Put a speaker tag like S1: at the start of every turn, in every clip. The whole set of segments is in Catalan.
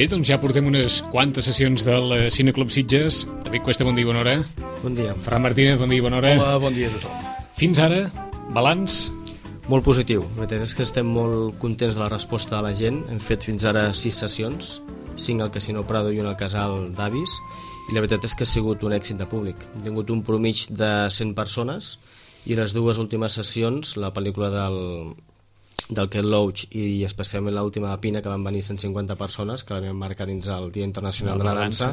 S1: Bé, doncs ja portem unes quantes sessions del Cineclub Sitges. David Cuesta, bon dia i bona hora.
S2: Bon dia.
S1: Ferran Martínez, bon dia i bona hora.
S3: Hola, bon dia a tothom.
S1: Fins ara, balanç?
S2: Molt positiu. La veritat és que estem molt contents de la resposta de la gent. Hem fet fins ara 6 sessions, 5 al Casino Prado i 1 al Casal d'Avis, i la veritat és que ha sigut un èxit de públic. Hem tingut un promig de 100 persones i les dues últimes sessions, la pel·lícula del Ken Loach i especialment l'última de Pina, que van venir 150 persones, que l'havien marcat dins el Dia Internacional de la Dansa,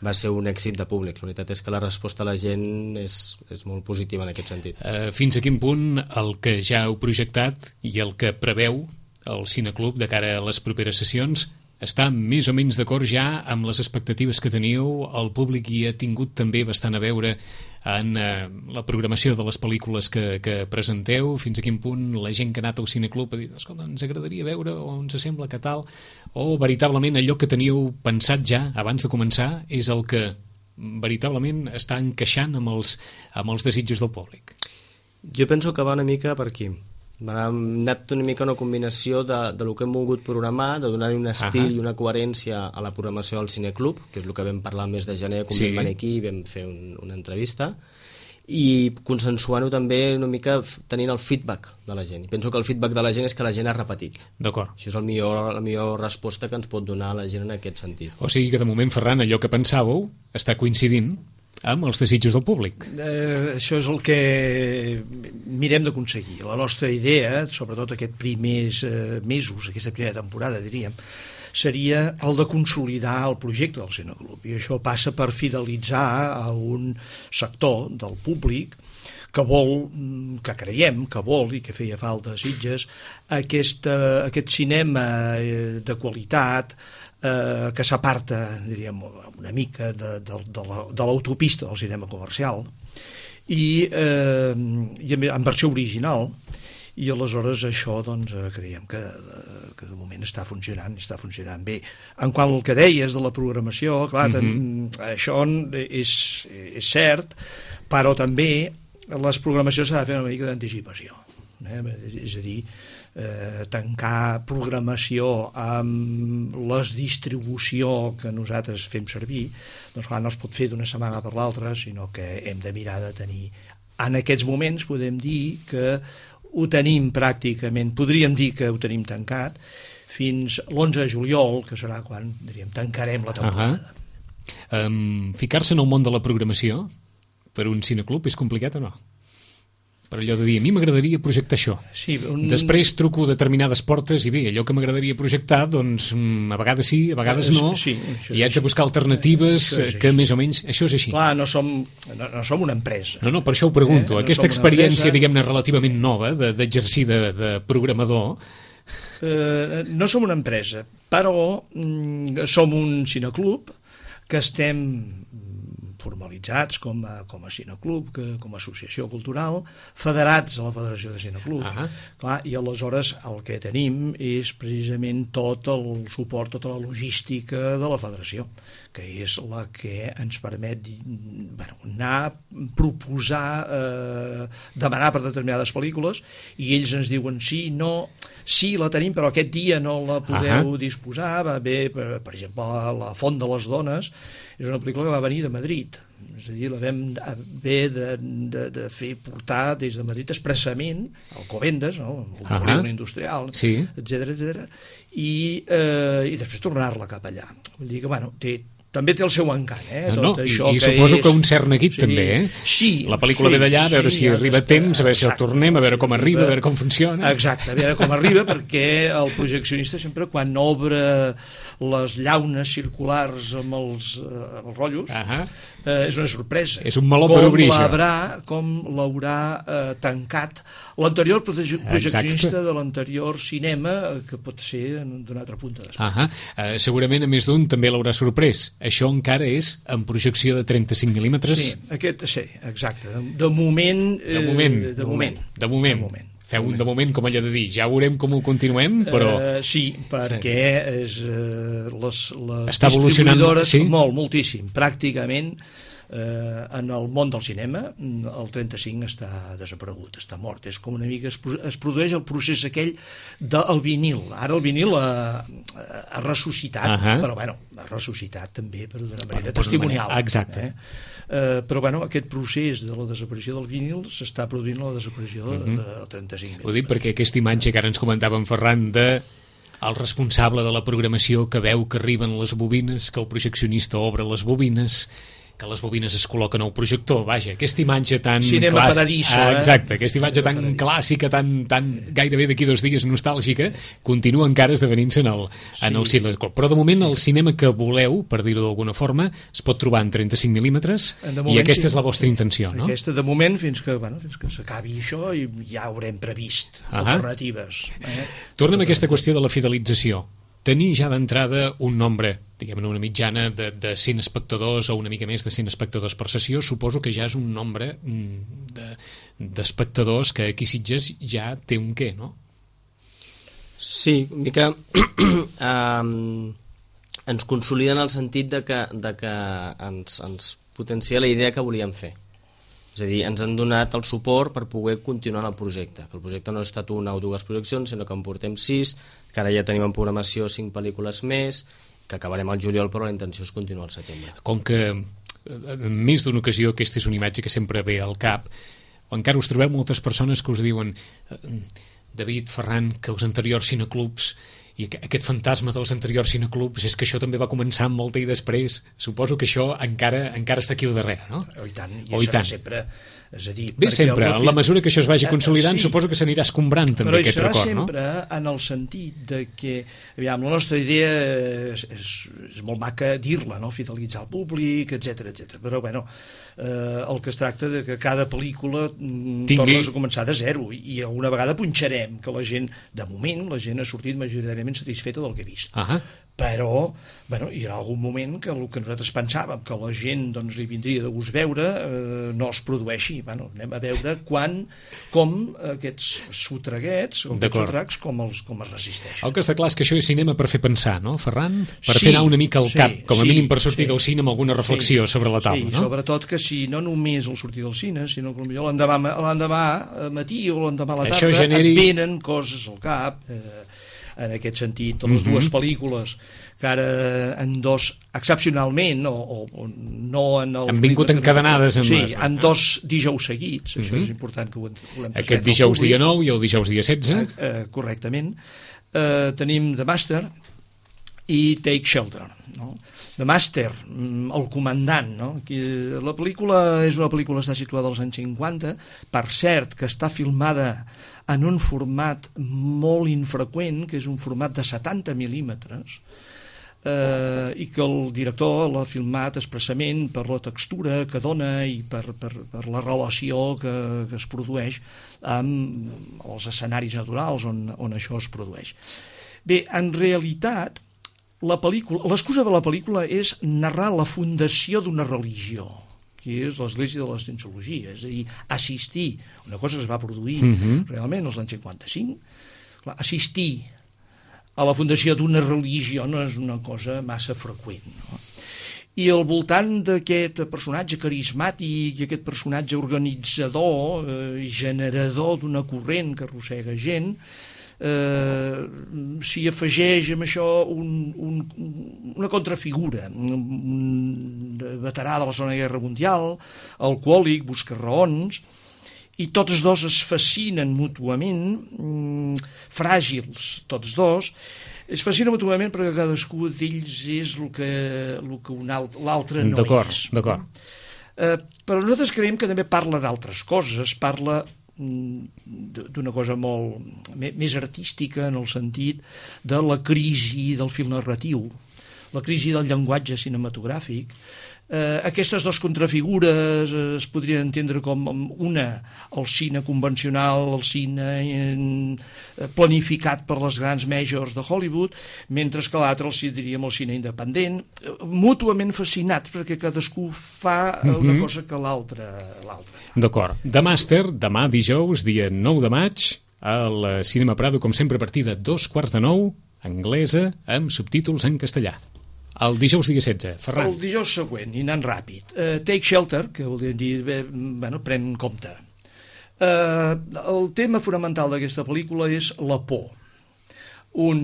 S2: va ser un èxit de públic. La veritat és que la resposta de la gent és molt positiva en aquest sentit.
S1: Fins a quin punt el que ja heu projectat i el que preveu el Cineclub de cara a les properes sessions està més o menys d'acord ja amb les expectatives que teníeu? El públic hi ha tingut també bastant a veure en la programació de les pel·lícules que presenteu? Fins a quin punt la gent que ha anat al Cineclub ha dit, escolta, ens agradaria veure o ens sembla que tal, o veritablement allò que teníeu pensat ja abans de començar és el que veritablement està encaixant amb els desitjos del públic?
S2: Jo penso que va una mica per aquí. Hem anat una mica una combinació de lo que hem volgut programar, de donar-hi un estil i una coherència a la programació del Cineclub, que és el que vam parlar el mes de gener, quan vam venir aquí i vam fer una entrevista, i consensuant-ho també una mica tenint el feedback de la gent. I penso que el feedback de la gent és que la gent ha repetit.
S1: D'acord.
S2: Això és la millor resposta que ens pot donar la gent en aquest sentit.
S1: O sigui que de moment, Ferran, allò que pensàveu està coincidint amb els desitjos del públic.
S3: Això és el que mirem d'aconseguir. La nostra idea, sobretot aquests primers mesos, aquesta primera temporada, diríem, seria el de consolidar el projecte del Cineclub. I això passa per fidelitzar a un sector del públic que vol, que creiem que vol i que feia falta a Sitges, aquest cinema de qualitat, que s'aparta, diríem, una mica de l'autopista del cinema comercial i en versió original, i aleshores això doncs, creiem que de moment està funcionant bé. En quant al que deies de la programació, clar, això és cert, però també les programacions s'ha de fer una mica d'anticipació, és a dir, tancar programació amb les distribució que nosaltres fem servir, doncs clar, no es pot fer d'una setmana per l'altra, sinó que hem de mirar de tenir. En aquests moments podem dir que ho tenim pràcticament, podríem dir que ho tenim tancat fins l'11 de juliol, que serà quan, diríem, tancarem la temporada.
S1: Ficar-se en el món de la programació per un cineclub és complicat o no? Per allò de dir, a mi m'agradaria projectar això.
S3: Sí,
S1: després truco determinades portes i bé, allò que m'agradaria projectar, doncs a vegades sí, a vegades no, i haig de buscar alternatives que més o menys... Això és així.
S3: Clar, no som una empresa.
S1: No, per això ho pregunto. Aquesta experiència, diguem-ne, relativament nova d'exercir de programador...
S3: No som una empresa, però som un cineclub que estem formalitzats com a cineclub, com a associació cultural, federats a la Federació de Cineclub. Clar, i aleshores el que tenim és precisament tot el suport, tota la logística de la federació, que és la que ens permet anar, proposar, demanar per determinades pel·lícules, i ells ens diuen sí, no, sí, la tenim, però aquest dia no la podeu disposar. Va bé, per exemple, La Font de les Dones és una pel·lícula que va venir de Madrid, és a dir, la vam haver de fer portar des de Madrid expressament al Alcobendas, no? El polígon industrial, etcètera, i després tornar-la cap allà. Vull dir que, també té el seu encant,
S1: I suposo que un cert neguit també,
S3: Sí.
S1: La pel·lícula ve d'allà, a veure si arriba a temps, a veure si el tornem, a veure com arriba, a veure com funciona.
S3: Exacte, a veure com arriba, perquè el projeccionista sempre, quan obre les llaunes circulars amb els rotllos, és una sorpresa.
S1: És un meló per obrir,
S3: Com l'haurà tancat l'anterior projeccionista de l'anterior cinema, que pot ser d'una altra punta d'Espanya.
S1: Segurament a més d'un també l'haurà sorprès. Això encara és en projecció de 35 mil·límetres?
S3: Sí, exacte. De moment.
S1: Feu un de moment, com allò de dir, ja veurem com ho continuem, però...
S3: Sí, perquè les
S1: està evolucionant
S3: distribuïdores, moltíssim, pràcticament En el món del cinema el 35 està desaparegut, està mort, és com una mica es produeix el procés aquell del vinil. Ara el vinil ha ressuscitat, però bueno, ha ressuscitat també per d'una manera testimonial.
S1: Exacte.
S3: Però bueno, aquest procés de la desaparició del vinil s'està produint la desaparició del 35.
S1: Ho dic perquè aquesta imatge que ara ens comentava en Ferran el responsable de la programació que veu que arriben les bobines, que el projeccionista obre les bobines, que les bobines es col·loquen al projector, vaja, aquesta imatge tan
S3: cinema paradiso,
S1: exacte, aquesta imatge tan clàssica, tan gairebé d'aquí 2 dies nostàlgica, continua encara esdevenint-se en el cinema. Però de moment el cinema que voleu, per dir-ho d'alguna forma, es pot trobar en 35 mil·límetres i aquesta és la vostra intenció, no?
S3: Aquesta, de moment, fins que s'acabi això, i ja haurem previst alternatives.
S1: Tornem a aquesta qüestió de la fidelització. Tenir ja d'entrada un nombre, diguem-ne una mitjana de 100 espectadors o una mica més de 100 espectadors per sessió, suposo que ja és un nombre d'espectadors que aquí Sitges ja té un què, no?
S2: Sí, una mica ens consolida en el sentit de que ens potencia la idea que volíem fer. És a dir, ens han donat el suport per poder continuar en el projecte, que el projecte no ha estat una o 2 projeccions, sinó que en portem 6, que ara ja tenim en programació 5 pel·lícules més, que acabarem al juliol, però la intenció és continuar al setembre.
S1: Com que en més d'una ocasió aquesta és una imatge que sempre ve al cap, encara us trobeu moltes persones que us diuen David, Ferran, que els anteriors cineclubs i aquest fantasma dels anteriors cineclubs és que això també va començar amb molta i després, suposo que això encara està aquí al darrere, no?
S3: I tant, i serà sempre, és a dir...
S1: Bé, sempre, en la mesura que això es vagi consolidant, suposo que s'anirà escombrant també aquest record, no?
S3: Però hi serà sempre en el sentit de que, aviam, la nostra idea és molt maca dir-la, no? Fidelitzar el públic, etc. Però, bueno, el que es tracta de que cada pel·lícula tornes a començar de zero i alguna vegada punxarem que la gent, de moment, la gent ha sortit majoritàriament satisfeta del que ha vist. Però, bueno, hi ha algun moment que el que nosaltres pensàvem que la gent doncs, li vindria de gust veure no es produeixi. Bueno, anem a veure com aquests sotraguets o aquests sotracs com es resisteixen.
S1: El que està clar és que això és cinema per fer pensar, no, Ferran? Per fer anar una mica al cap, com a mínim per sortir del cine amb alguna reflexió sobre la taula, no?
S3: Sobretot que si no només el sortir del cine, sinó que potser l'endemà matí o l'endemà a la tarda et venen coses al cap, en aquest sentit, les 2 pel·lícules que ara en 2 excepcionalment o no en el...
S1: Han vingut encadenades
S3: en 2 dijous seguits, això és important que ho hem transmet.
S1: Aquest dijous dia 9 i el dijous dia 16.
S3: Correctament. Tenim The Master i Take Shelter, no? The Master, el comandant, no? La pel·lícula és una pel·lícula que està situada als anys 50, per cert que està filmada en un format molt infreqüent, que és un format de 70 mil·límetres, i que el director l'ha filmat expressament per la textura que dona i per la relació que es produeix amb els escenaris naturals on això es produeix. Bé, en realitat, l'excusa de la pel·lícula és narrar la fundació d'una religió, que és l'Església de la Cienciologia, és a dir, assistir, una cosa que es va produir realment als anys 55, assistir a la fundació d'una religió no és una cosa massa freqüent, no? I al voltant d'aquest personatge carismàtic i aquest personatge organitzador, generador d'una corrent que arrossega gent, s'hi afegeix amb això una contrafigura, un veterà de la Segona Guerra Mundial, alcohòlic, busca raons, i tots 2 es fascinen mútuament, fràgils tots 2, es fascinen mútuament perquè cadascú d'ells és el que l'altre no és.
S1: D'acord.
S3: Però nosaltres creiem que també parla d'altres coses, parla d'una cosa molt més artística en el sentit de la crisi del fil narratiu, la crisi del llenguatge cinematogràfic. Aquestes 2 contrafigures es podrien entendre com una, el cine convencional, el cine planificat per les grans majors de Hollywood, mentre que l'altre diríem el cine independent, mútuament fascinats perquè cadascú fa una cosa que l'altre.
S1: D'acord. The Master, demà dijous, dia 9 de maig, al Cinema Prado, com sempre, a partir de 8:45, anglesa, amb subtítols en castellà. El dijous dia 16, Ferran.
S3: El dijous següent, i anant ràpid. Take Shelter, que vol dir, pren compte. El tema fonamental d'aquesta pel·lícula és la por. Un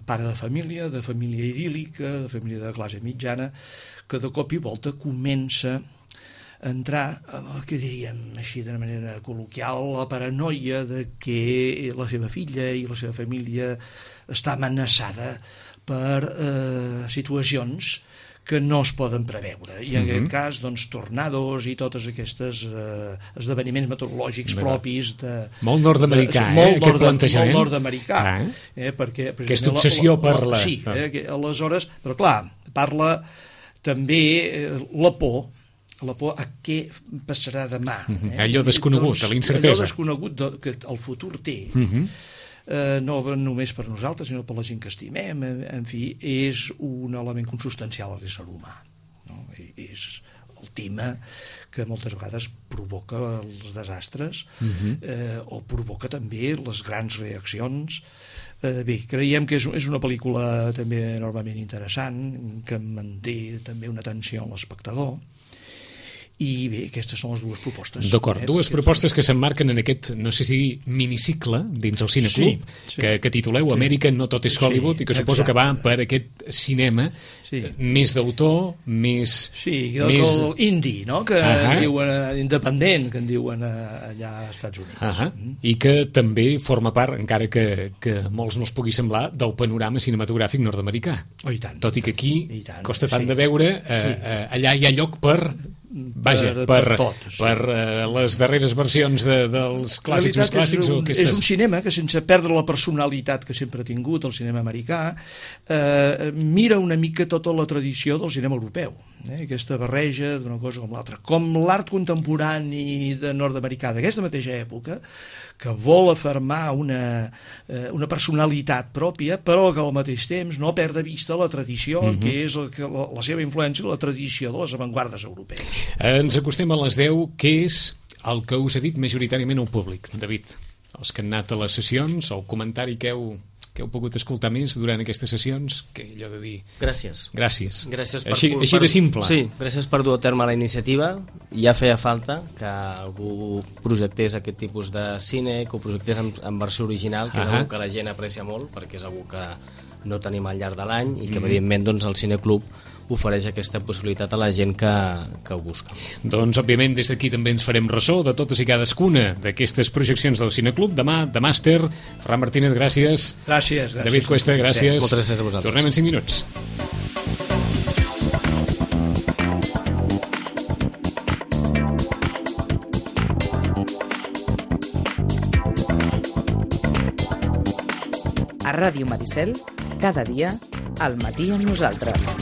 S3: pare de família idíl·lica, de família de classe mitjana, que de cop i volta comença a entrar el que diríem així de manera col·loquial, la paranoia de que la seva filla i la seva família està amenaçada per situacions que no es poden preveure. I en aquest cas, doncs, tornados i totes aquestes esdeveniments meteorològics propis de...
S1: Molt nord-americà, aquest plantejament.
S3: Molt nord-americà. Perquè,
S1: aquesta obsessió per la...
S3: Sí, aleshores, però clar, parla també la por a què passarà demà.
S1: Allò desconegut, a l'incertesa.
S3: Allò desconegut que el futur té. No només per nosaltres, sinó per la gent que estimem, en fi, és un element consustancial a l'ésser humà. És el tema que moltes vegades provoca els desastres o provoca també les grans reaccions. Bé, creiem que és una pel·lícula també enormement interessant, que manté també una atenció a l'espectador. I bé, aquestes són les dues propostes.
S1: D'acord, dues propostes que s'emmarquen en aquest, no sé si cinecicle dins el Cineclub, que tituleu Amèrica no tot és Hollywood, i que suposo que va per aquest cinema més d'autor, més...
S3: Sí, el indie, no?, que en diuen independent, que en diuen allà als Estats Units.
S1: I que també forma part, encara que molts no els pugui semblar, del panorama cinematogràfic nord-americà.
S3: Oh, i tant.
S1: Tot i que aquí costa tant de veure, allà hi ha lloc per... Vaja, per les darreres versions dels clàssics més clàssics o aquestes...
S3: És un cinema que, sense perdre la personalitat que sempre ha tingut el cinema americà, mira una mica tota la tradició del cinema europeu, aquesta barreja d'una cosa com l'altra, com l'art contemporani nord-americà d'aquesta mateixa època, que vol afermar una personalitat pròpia, però que al mateix temps no perd de vista la tradició, que és la seva influència, la tradició de les avantguardes europees.
S1: Ens acostem a les 10. Què és el que us ha dit majoritàriament el públic, David? Els que han anat a les sessions, el comentari que heu pogut escoltar més durant aquestes sessions, que allò de dir...
S2: Gràcies.
S1: Així de simple.
S2: Sí, gràcies per dur a terme la iniciativa. Ja feia falta que algú projectés aquest tipus de cine, que ho projectés en versió original, que és algo que la gent aprecia molt, perquè és algo que no tenim al llarg de l'any i que, evidentment, doncs, el Cineclub ofereix aquesta possibilitat a la gent que ho busca.
S1: Doncs, òbviament, des d'aquí també ens farem ressò de totes i cadascuna d'aquestes projeccions del Cineclub. Demà, de màster, Ferran Martínez, gràcies.
S3: Gràcies.
S1: David Cuesta, gràcies.
S2: Moltes gràcies a vosaltres.
S1: Tornem en 5 minuts.
S4: A Ràdio Maricel, cada dia, al matí amb nosaltres.